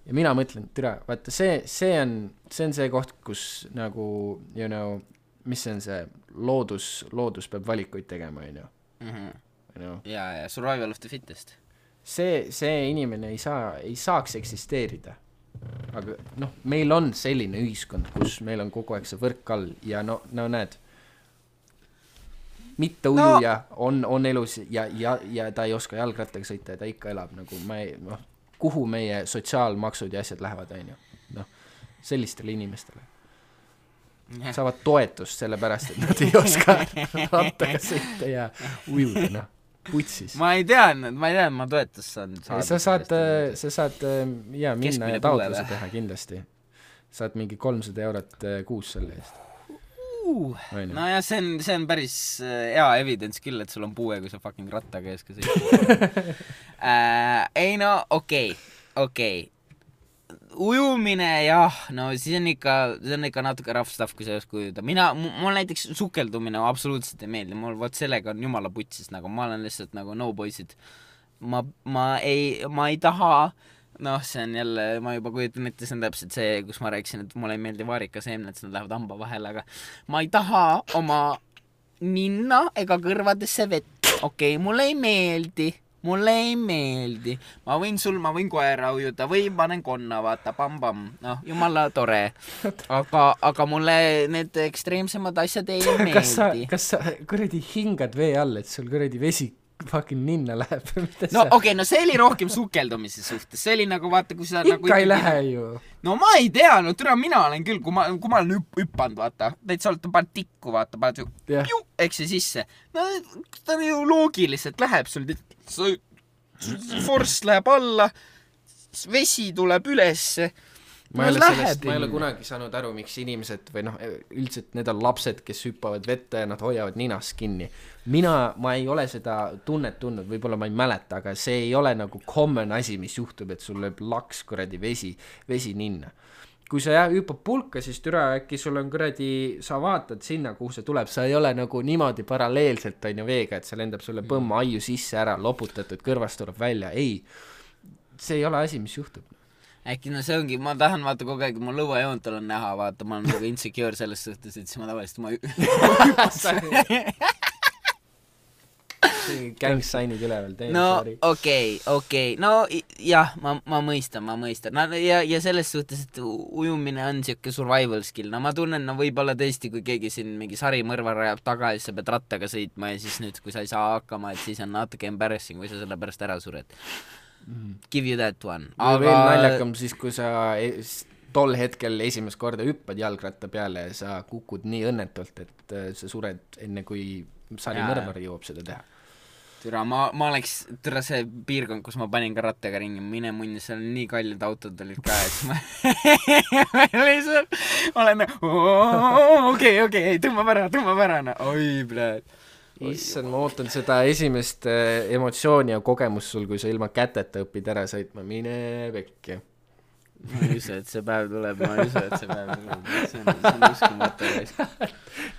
Ja mina mõtlen, tere, vaata, see on see koht, kus nagu, you know, mis on see loodus peab valikuid tegema, you know. Ja survival of the fittest. See inimene ei saaks eksisteerida. Aga noh, meil on selline ühiskond, kus meil on kogu aeg see võrk all ja no näed, mitte ujuja on elus ja ta ei oska jalgrattaga sõita ja ta ikka elab nagu kuhu meie sotsiaalmaksud ja asjad lähevad, on ju. Noh, sellistele inimestele. Saavad toetust selle pärast, et nad ei oska rattaga sõita ja ujuda, noh. Putsis. Ma ei teadnud, ma toetust saan saada. Sa saad minna ja taotluse teha kindlasti. Saad mingi 300 eurot kuus selle eest. No ja see on päris hea evidence küll, et sul on puue, kui sa fucking rattaga ees ka sõidad. Ei no, okei. Ujumine, jah, no siis on ikka natuke rough stuff, kui sa ei oska ujuda. Mul näiteks sukeldumine absoluutselt ei meeldi, mul võt sellega on jumala putsis, nagu ma olen lihtsalt nagu no boysid. Ma ei taha, noh, see on jälle, ma juba kujutan ette, see on täpselt see, kus ma rääkisin, et mulle ei meeldi vaarikaseemned, nad lähevad hamba vahele, aga ma ei taha oma ninna ega kõrvadesse vett. Okei, mulle ei meeldi. Ma võin koera ujuda või panen konna, vaata, pam-pam, noh, jumala tore. Aga mulle need ekstreemsemad asjad ei meeldi. Kas sa kuradi hingad vee all, et sul kuradi vesi fucking ninna läheb? No okei, no see oli rohkem sukeldumise suhtes, see oli nagu, vaata, kui sa ikka nagu ei lähe ju. No ma ei tea, no türa, mina olen küll, kui ma olen hüppanud, vaata, täitsa olete pannud tikku, vaata, paned ju, eks see sisse. No ta ju loogiliselt läheb sul, force läheb alla, vesi tuleb ülesse. Ma ei ole kunagi saanud aru, miks inimesed või noh, üldiselt need on lapsed, kes hüppavad vette ja nad hoiavad ninast kinni. Ma ei ole seda tunnet tundnud, võib-olla ma ei mäleta, aga see ei ole nagu common asi, mis juhtub, et sul lööb laks kuradi vesi ninna. Kui sa hüppad pulka, siis türa äkki sul on kuradi, sa vaatad sinna, kuhu see tuleb, sa ei ole nagu niimoodi paralleelselt on ju veega, et see lendab sulle põmma aiu sisse ära, loputatud, kõrvast tuleb välja. Ei, see ei ole asi, mis juhtub. Äkki no see ongi, ma tahan vaata kogu aeg, mu lõuajoontal on näha, vaata, ma olen nagu insecure selles suhtes, et siis ma tavaliselt gang sign'id üleval, no okei, no jah, ma mõistan, no, ja selles suhtes, et ujumine on siuke survival skill, no ma tunnen, no võib-olla tõesti, kui keegi siin mingi sarimõrvar ajab taga ja siis sa pead rattaga sõitma ja siis nüüd, kui sa ei saa hakkama, et siis on natuke embarrassing, kui sa selle pärast ära sured. Give you that one. Aga veel naljakam siis, kui sa tol hetkel esimest korda hüppad jalgratta peale ja sa kukud nii õnnetult, et sa sured enne, kui sarimõrvar jõuab seda teha. Türa, ma oleks see piirkond, kus ma panin ka rattaga ringi, mine munni, seal on nii kallid autod olid ka, et ma lihtsalt olen okei, tõmbab ära, no oi, pljääd. Issand, ma ootan seda esimest emotsiooni ja kogemust sul, kui sa ilma käteta õpid ära sõitma, mine pekki. Ma ei usu, et see päev tuleb, see on uskumatu.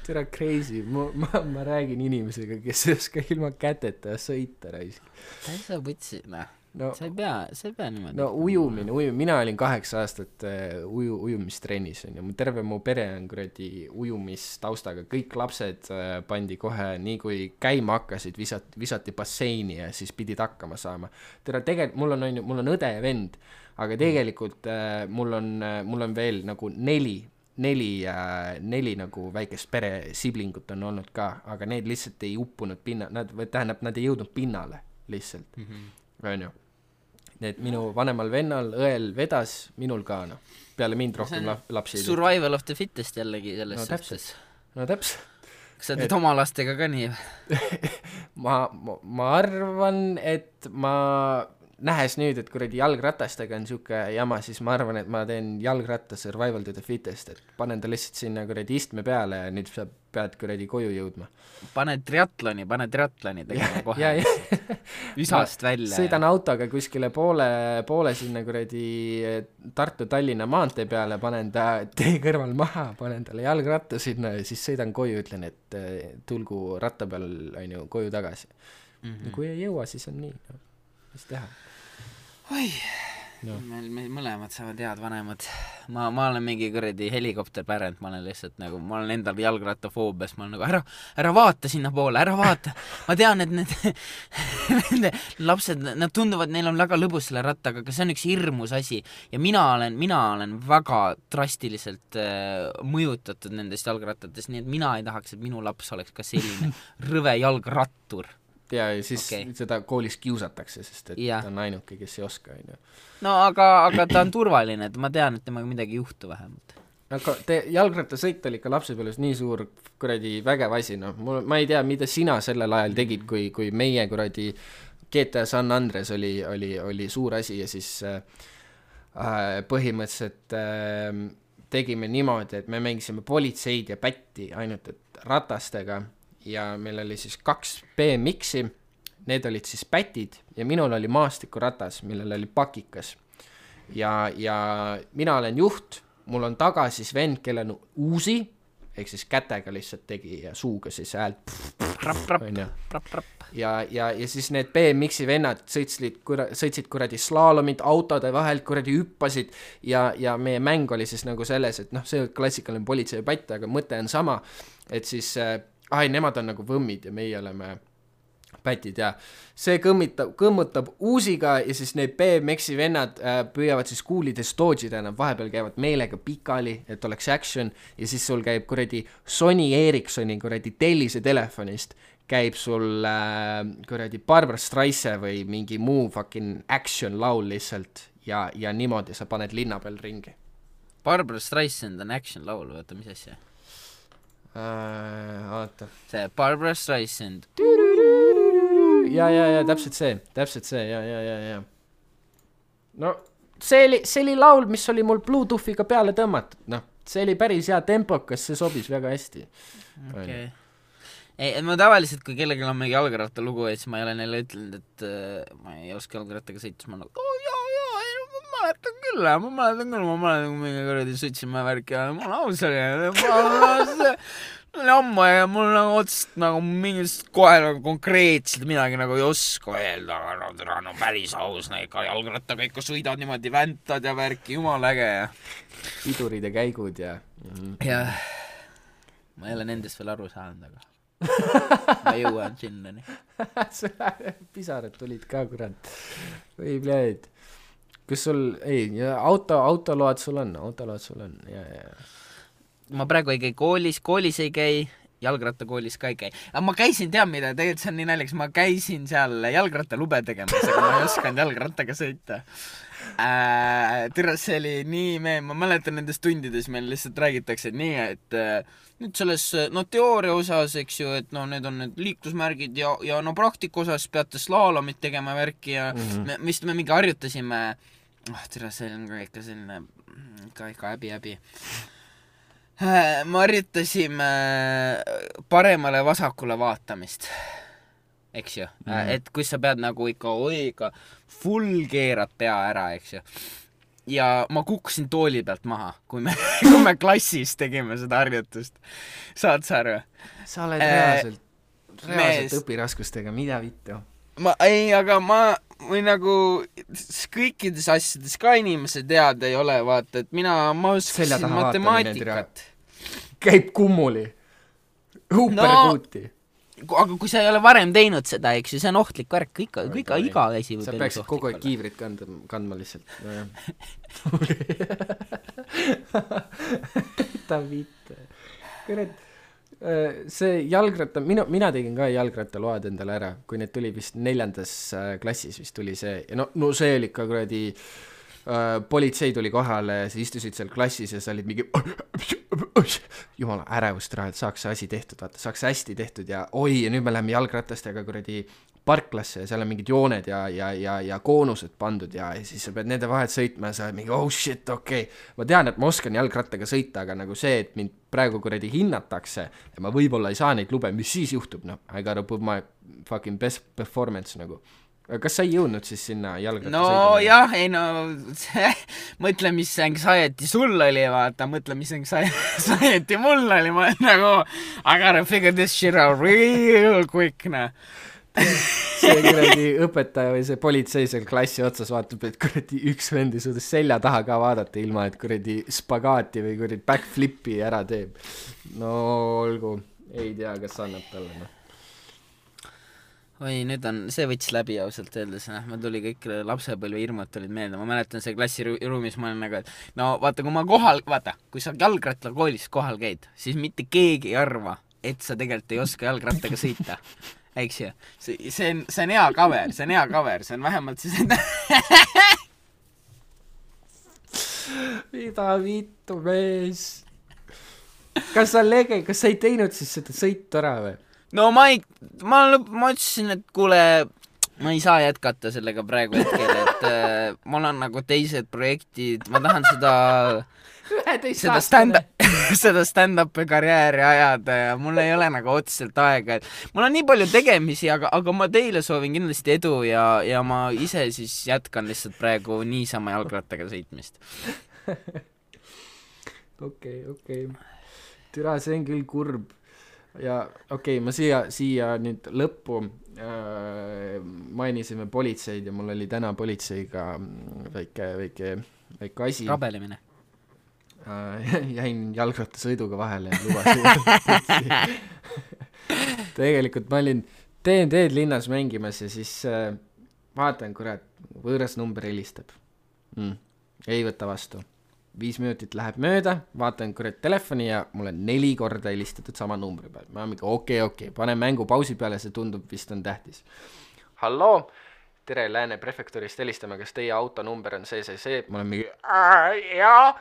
Tere crazy, ma räägin inimesega, kes ei oska ilma käteta sõita raisk. Täisa võtsi, no, sa ei pea niimoodi. No ujumine, mina olin 8 aastat ujumistrennis, terve mu pere on kuradi ujumistaustaga, kõik lapsed pandi kohe, nii kui käima hakkasid, visati basseini ja siis pidid hakkama saama. Tere, tegelikult mul on õde ja vend, aga tegelikult mul on veel nagu neli nagu väikest pere siblingut on olnud ka, aga need lihtsalt ei uppunud nad ei jõudnud pinnale lihtsalt, onju. Need minu vanemal vennal, õel vedas, minul ka, no. Peale mind rohkem lapsi. Survival of the fittest jällegi selles suhtes. No täpselt. Kas sa teed oma lastega ka nii? ma arvan, et nähes nüüd, et kuradi jalgratastega on siuke jama, siis ma arvan, et ma teen jalgratta survival to the fittest, et panen ta lihtsalt sinna kuradi istme peale ja nüüd sa pead kuradi koju jõudma. Pane triatloni tegema kohe. Üsast välja. Sõidan autoga kuskile poole sinna kuradi Tartu-Tallinna maantee peale, panen ta tee kõrval maha, panen talle jalgratta sinna ja siis sõidan koju, ütlen, et tulgu ratta peal on ju koju tagasi. Kui ei jõua, siis on nii, no. Mis teha? Oi, no. Meil mõlemad saavad head vanemad. Ma olen mingi kuradi helikopterpärend, ma olen lihtsalt nagu, ma olen endal jalgrattafoobias, ma olen nagu, ära vaata sinna poole, ära vaata. Ma tean, et need lapsed, nad tunduvad, neil on väga lõbus selle rattaga, aga see on üks hirmus asi. Ja mina olen väga drastiliselt mõjutatud nendest jalgrattatest, nii et mina ei tahaks, et minu laps oleks ka selline rõve jalgrattur. Ja siis seda koolis kiusatakse, sest et ta on ainuke, kes ei oska. No aga ta on turvaline, et ma tean, et temaga midagi juhtu vähemalt. Aga jalgrattasõit oli ikka lapsepõlves nii suur kuradi vägev asi, no. Ma ei tea, mida sina sellel ajal tegid, kui meie kuradi GTA San Andres oli suur asi ja siis põhimõtteliselt tegime niimoodi, et me mängisime politseid ja pätti ainult et ratastega. Ja meil oli siis 2 BMX-i, need olid siis pätid ja minul oli maastikuratas, millel oli pakikas. Ja mina olen juht, mul on taga siis vend, kellel on uusi, ehk siis kätega lihtsalt tegi ja suuga siis häält. Ja siis need BMX-i vennad sõitsid kuradi slaalomid autode vahelt, kuradi hüppasid ja meie mäng oli siis nagu selles, et see klassikaline politsei pätt, aga mõte on sama, et siis nemad on nagu võmmid ja meie oleme pätid ja see kõmmutab uusiga ja siis need BMX-i vennad püüavad siis kuulides dodžida, nad vahepeal käivad meelega pikali, et oleks action ja siis sul käib kuradi Sony Ericssoni kuradi tellise telefonist käib sul kuradi Barbra Streisand või mingi muu fucking action laul lihtsalt ja niimoodi sa paned linna peal ringi. Barbra Streisand on action laul, vaata mis asja? Vaata. See Barbra Streisand. Ja, täpselt see, ja. No, see oli laul, mis oli mul Bluetoothiga peale tõmmatud, see oli päris hea tempokas, see sobis väga hästi. Okay. Ei, ma tavaliselt, kui kellelgi on mingi jalgratta lugu, siis ma ei ole neile ütlenud, et ma ei oska jalgrattaga sõita, siis ma nagu, ma mäletan küll, mingi kuradi sõitsime värki ja mul aus oli, ammu ja mul nagu otsest nagu mingist kohe nagu konkreetselt midagi nagu ei oska öelda, aga no päris aus, ikka jalgrattaga ikka sõidad niimoodi, väntad ja värki, jumal äge ja pidurid ja käigud ja jah, ma ei ole nendest veel aru saanud, aga ma jõuan sinnani. Pisarad tulid ka, kurat. Või pljääd. Kas sul, ei, autoload sul on, ja. Ma praegu ei käi koolis ei käi, jalgrattakoolis ka ei käi. Aga ma käisin, tead mida, tegelikult see on nii naljakas, ma käisin seal jalgrattalube tegemas, aga ma ei osanud jalgrattaga sõita. See oli nii ma mäletan nendes tundides meil lihtsalt räägitakse nii, et nüüd selles teooria osas, eks ju, et need on need liiklusmärgid ja praktika osas peate slaalomit tegema värki ja me mingi harjutasime, see on ka ikka selline ikka häbi. Me harjutasime paremale vasakule vaatamist, eks ju, et kui sa pead nagu ikka full keerad pea ära, eks ju. Ja ma kukkusin tooli pealt maha, kui me klassis tegime seda harjutust. Saad sa aru? Sa oled reaalselt õpiraskustega, mida vittu? Aga või nagu kõikides asjades ka inimesed tead ei ole, vaata, et ma oskasin matemaatikat. Käib kummuli. Huuperkuuti. Aga kui sa ei ole varem teinud seda, eks ju, see on ohtlik värk, iga asi võib sa peaksid kogu aeg kiivrit kandma lihtsalt. Ta viite. See jalgratta, mina tegin ka jalgrattaload endale ära, kui need tuli vist 4. klassis vist tuli see, ja no see oli ikka kuradi politsei tuli kohale, sa istusid seal klassis ja sa olid mingi jumala ärevust raha, et saaks see asi tehtud, vaata, saaks hästi tehtud ja ja nüüd me läheme jalgratastega kuradi parklasse ja seal on mingid jooned ja koonused pandud ja siis sa pead nende vahet sõitma ja sa oled mingi shit, okei. Ma tean, et ma oskan jalgrattaga sõita, aga nagu see, et mind praegu kuradi hinnatakse ja ma võib-olla ei saa neid lube, mis siis juhtub, I gotta put my fucking best performance nagu. Kas sa ei jõudnud siis sinna jalgratta sõidama? See mõtle, mis anxiety sul oli, vaata, mõtle, mis anxiety mul oli, ma nagu I gotta figure this shit out real quick, see kuradi õpetaja või see politsei seal klassi otsas vaatab, et kuradi üks vendi suudas selja taha ka vaadata, ilma et kuradi spagaati või kuradi backflipi ära teeb. No olgu, ei tea, kas annab talle, Oi, nüüd see võttis läbi ausalt öeldes, ma tuli kõik lapsepõlve hirmud tulid meelde, ma mäletan see klassiruumis, ma olen nagu, et vaata, kui sa jalgrattakoolis kohal käid, siis mitte keegi ei arva, et sa tegelikult ei oska jalgrattaga sõita, eks ju, see on hea cover, see on vähemalt siis mida vittu mees, kas sa ei teinud siis seda sõitu ära või? No ma ütlesin, et kuule, ma ei saa jätkata sellega praegu hetkel, et mul on nagu teised projektid, ma tahan seda stand-up'i karjääri ajada ja mul ei ole nagu otseselt aega, et mul on nii palju tegemisi, aga ma teile soovin kindlasti edu ja ma ise siis jätkan lihtsalt praegu niisama jalgrattaga sõitmist. Okei. Türa, see on küll kurb. Ja ma siia nüüd lõppu mainisime politseid ja mul oli täna politseiga väike asi. Rabelemine. Jäin jalgrattasõiduga vahele ja lubasin. Tegelikult ma olin TNT-d linnas mängimas ja siis vaatan, kurat, võõras number helistab. Ei võta vastu. 5 minutit läheb mööda, vaatan kurat telefoni ja mulle 4 korda helistatud sama numbri peal. Ma olen mingi okei, panen mängu pausi peale, see tundub vist on tähtis. Halloo, tere, Lääne prefektuurist helistame, kas teie autonumber on see? Ma olen mingi, jaa.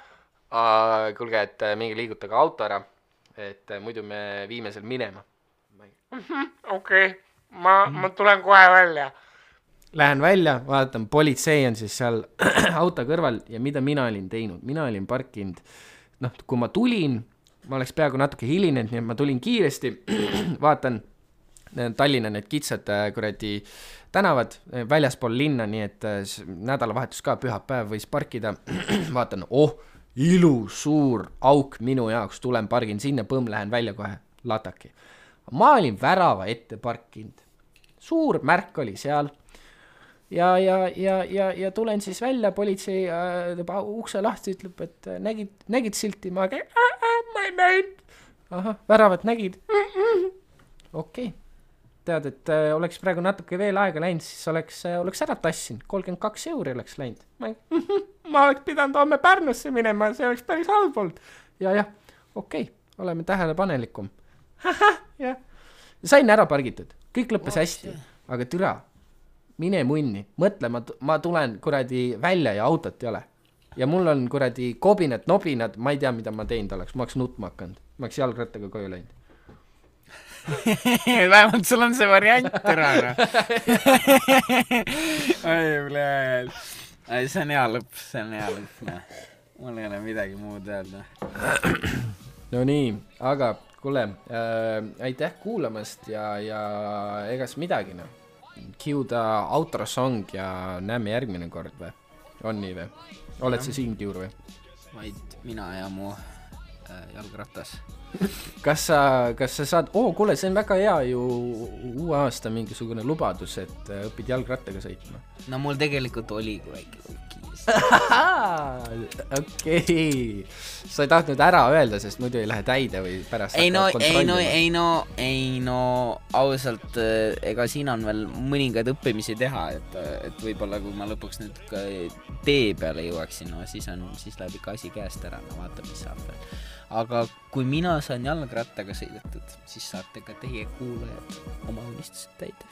Kuulge, et mingi liigutage auto ära, et muidu me viime seal minema. Okei, ma tulen kohe välja. Lähen välja, vaatan, politsei on siis seal auto kõrval ja mida mina olin teinud? Mina olin parkinud, kui ma tulin, ma oleks peaaegu natuke hilinenud, nii et ma tulin kiiresti, vaatan Tallinna need kitsad kuradi tänavad väljaspool linna, nii et nädalavahetus ka pühapäev võis parkida, vaatan, ilus suur auk minu jaoks, tulen pargin sinna, lähen välja kohe, lataki. Ma olin värava ette parkinud, suur märk oli seal, ja tulen siis välja, politsei ukse lahti ütleb, et nägid silti, ma ei näinud. Väravat nägid. okei. Tead, et oleks praegu natuke veel aega läinud, siis oleks ära tassin. 32 € oleks läinud. Ma oleks pidanud homme Pärnusse minema, see oleks päris halb olnud. Ja, okei, oleme tähelepanelikum. Jah. Sain ära pargitud, kõik lõppes hästi, aga türa, mine munni, mõtle, ma tulen kuradi välja ja autot ei ole. Ja mul on kuradi kobinad, nobinad, ma ei tea, mida ma teinud oleks, ma oleks nutma hakanud, ma oleks jalgrattaga koju läinud. Vähemalt sul on see variant ära. See on hea lõpp. Mul ei ole midagi muud öelda. No nii, aga kuule, aitäh kuulamast ja egas midagi, no. Cue ta outro song ja näeme järgmine kord või? On nii või? Oled sa siin, Kiur või? Vaid mina ja mu jalgratas. Kas sa saad, kuule, see on väga hea ju uue aasta mingisugune lubadus, et õpid jalgrattaga sõitma. No mul tegelikult oli kui väike kiis. Okei. Sa ei tahtnud ära öelda, sest muidu ei lähe täide või pärast ei no, ausalt, ega siin on veel mõningaid õppimisi teha, et võib-olla kui ma lõpuks nüüd ka tee peale jõuaksin, no siis läheb ikka asi käest ära, no vaata, mis saab veel. Aga kui mina saan jalgrattaga sõidetud, siis saate ka teie kuulajad oma unistused täida.